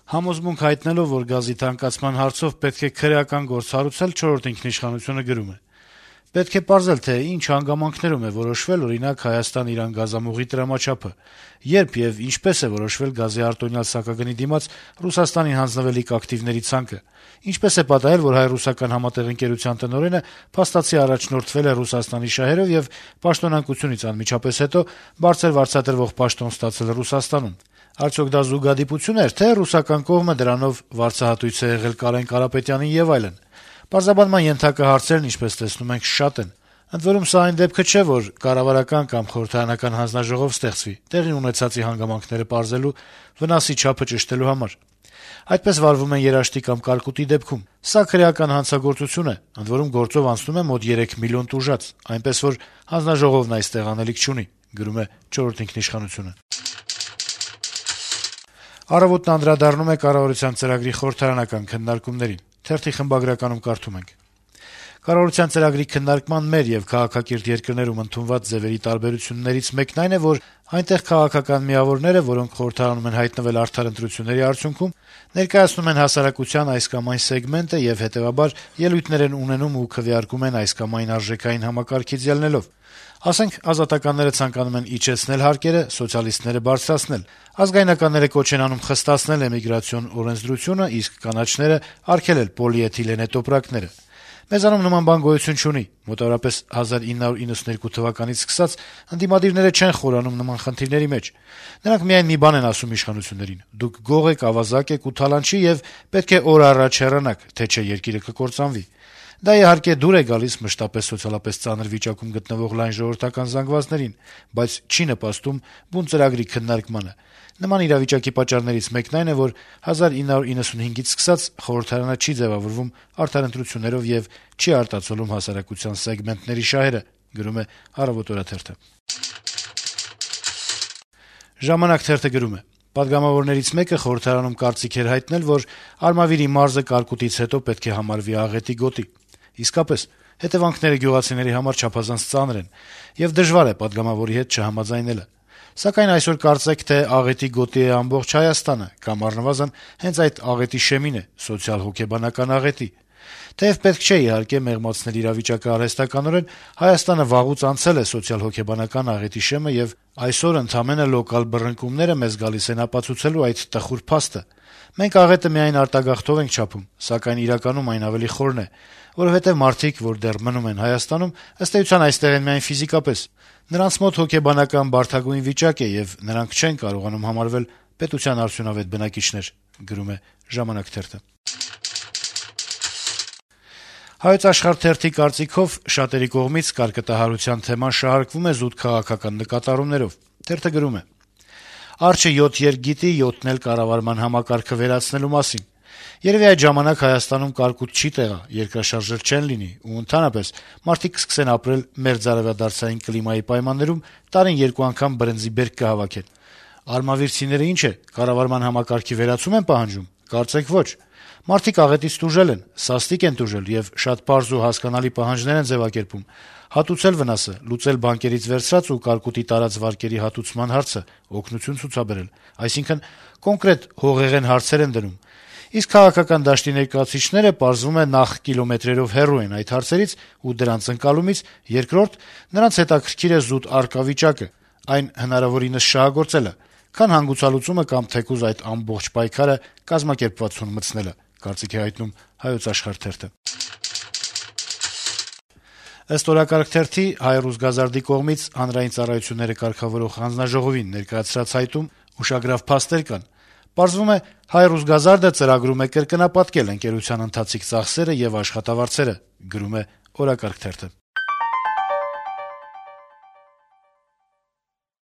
Համոզմունք հայտնելով, որ գազի թանկացման հարցով պետք է քրեական գործ հարուցել, «Չորրորդ ինքնիշխանությունը» գրում է. - «Պետք է պարզել, թե ինչ հանգամանքներում է որոշվել, օրինակ, Հայաստան-Իրան գազամուղի տրամաչափը, երբ եւ ինչպես է որոշվել գազի արտոնյալ սակագնի դիմաց Ռուսաստանին հանձնվելիք ակտիվների ցանկը, ինչպես է պատահել, որ հայ-ռուսական համատեղ ընկերության տնօրենը փաստացի առաջնորդվել է Ռուսաստանի շահերով եւ պաշտոնանկությունից անմիջապես հետո բարձր վարձատրվող պաշտոն ստացել Ռուսաստանում։ Արդյոք դա զուգադիպություն էր, թե ռուսական կողմը դրանով վարձահատույց է եղել Կարեն Կարապետյանին եւ այլն։ Պարզաբանման ենթակա հարցերն, ինչպես տեսնում ենք, շատ են։ Ընդ որում, սա այն դեպքը չէ, որ կառավարական կամ խորհրդարանական հանձնաժողով ստեղծվի տեղի ունեցածի հանգամանքները պարզելու, վնասի չափը ճշտելու համար։ Այդպես վարվում են երաշտի կամ կարկուտի դեպքում։ Սա քրեական հանցագործություն է, ընդ որում գործով անցնում է մոտ 3 միլիոն տուժած, այնպես որ հանձնաժողովն այստեղ անելիք չունի», գրում է «Չորրորդ ինքնիշխանությունը»։ Առավոտն անդրադառնում է կառավարության ծրագրի խորհրդարանական քննարկումներին։ Թերթի խմբագրականում կարդում ենք. - «Կառավարության ծրագրի քննարկման մեր եւ քաղաքակիրթ երկրներում ընդունված ձևերի տարբերություններից մեկն այն է, որ այնտեղ քաղաքական միավորները, որոնք խորհրդարանում են հայտնվել արդար ընտրությունների արդյունքում, ներկայացնում են հասարակության այս կամ այն սեգմենտը եւ հետեւաբար ելույթներ են ունենում ու քվեարկում են այս կամ այն արժեքային համակարգից ելնելով։ Ասենք, ազատականները ցանկանում են իջեցնել հարկերը, սոցիալիստները բարձրացնել, ազգայնականները կոչ են անում խստացնել էմիգրացիոն օրենսդրությունը, իսկ կանաչները արգելել պոլիէթիլենե տոպրակները։ Մեզանում նման բան գոյություն չունի։ Մոտավորապես 1992 թվականից սկսած ընդդիմադիրները չեն խորանում նման խնդիրների մեջ։ Նրանք միայն մի բան են ասում իշխանություններին. դուք գող եք, ավազակ եք ու թալանչի եւ պետք է օր առաջ հեռանաք, թե չէ երկիրը կկործանվի։ Դա իհարկե դուր է գալիս մշտապես սոցիալապես ծանր վիճակում գտնվող լայն ժողովրդական զանգվածներին, բայց չի նպաստում բուն ծրագրի քննարկմանը։ Նման իրավիճակի պատճառներից մեկն այն է, որ 1995-ից սկսած խորհրդարանը չի ձեւավորվում արդար ընտրություններով եւ չի արտացոլում հասարակության սեգմենտների շահերը», գրում է «Առավոտ» օրաթերթը։ «Ժամանակ» թերթը գրում է. - «Պատգամավորներից մեկը խորհրդարանում կարծիք էր հայտնել, որ Արմավիրի մարզը կարկուտից հետո պետք է համարվի աղետի գոտի։ Իսկապես, հետեւանքները գյուղացիների համար չափազանց ծանր են, եւ դժվար է պատգամավորի հետ չհամաձայնելը։ Սակայն այսօր կարծեք, թե աղետի գոտի է ամբողջ Հայաստանը, կամ առնվազն հենց այդ աղետի շեմին է, սոցիալ-հոգեբանական աղետի։ Թեև պետք չէ իհարկե մեղմացնել իրավիճակը արհեստականորեն, Հայաստանը վաղուց անցել է սոցիալ-հոգեբանական աղետի շեմը եւ այսօր ընդամենը լոկալ բռնկումները մեզ գալիս են ապացուցելու այդ տխուր փաստը։ Մենք աղետը միայն արտագաղթով ենք չափում, սակայն իրականում այն ավելի խորն է, որովհետեւ մարդիկ, որ դեռ մնում են Հայաստանում, ըստ էության այստեղ են միայն ֆիզիկապես։ Նրանց մոտ հոգեբանական բարդագույն վիճակ է եւ նրանք չեն կարողանում համարվել պետության արդյունավետ բնակիչներ», գրում է «Ժամանակ» թերթը։ «Հայոց Աշխարհ» թերթի կարծիքով շատերի կողմից կարկտահարության թեման շահարկվում է զուտ քաղաքական նկատառումներով։ Թերթը գրում է. - «Արջը 7 երկ գիտի, 7-ն էլ կառավարման համակարգը վերացնելու մասին։ Երեւի այդ ժամանակ Հայաստանում կարկուտ չի տեղա, երկրաշարժեր չեն լինի ու ընդհանրապես մարդիկ կսկսեն ապրել մերձարևադարձային կլիմայի պայմաններում, տարին 2 անգամ բրնձի բերք կհավաքեն։ Արմավիրցիները ինչ է, կառավարման համակարգի վերացում են պահանջում։ Կարծեք ոչ։ Մարդիկ աղետից տուժել են, սաստիկ են տուժել եւ շատ պարզ ու հասկանալի պահանջներ են ձեւակերպում. հատուցել վնասը, լուծել բանկերից վերցրած ու կարկուտի տարած վարկերի հատուցման հարցը, օգնություն ցուցաբերել, այսինքն կոնկրետ հողեղեն հարցեր են դնում։ Իսկ քաղաքական դաշտի ներկայացուցիչները պարզվում է նախ կիլոմետրերով հեռու են այդ հարցերից ու դրանց ընկալումից, երկրորդ նրանց հետաքրքիր է զուտ առկա վիճակը, այն հնարավորինս շահագործելը, քան հանգուցալուծումը կամ թեկուզ այդ ամբողջ պայքարը կազմակերպվածություն մտցնելը», կարծիք է հայտնում «Հայոց Աշխարհ» թերթը։ Ըստ օրակարգ թերթի Հայ-ռուս գազարդի կողմից հանրային ծառայությունները կարգավորող հանձնաժողովին ներկայացրած հայտում ուշագրավ փաստեր կան։ Պարզվում է, Հայ-ռուս գազարդը ծրագրում է կրկնապատկել ընկերության ընթացիկ ծախսերը եւ աշխատավարձերը, գրում է օրակարգ թերթը։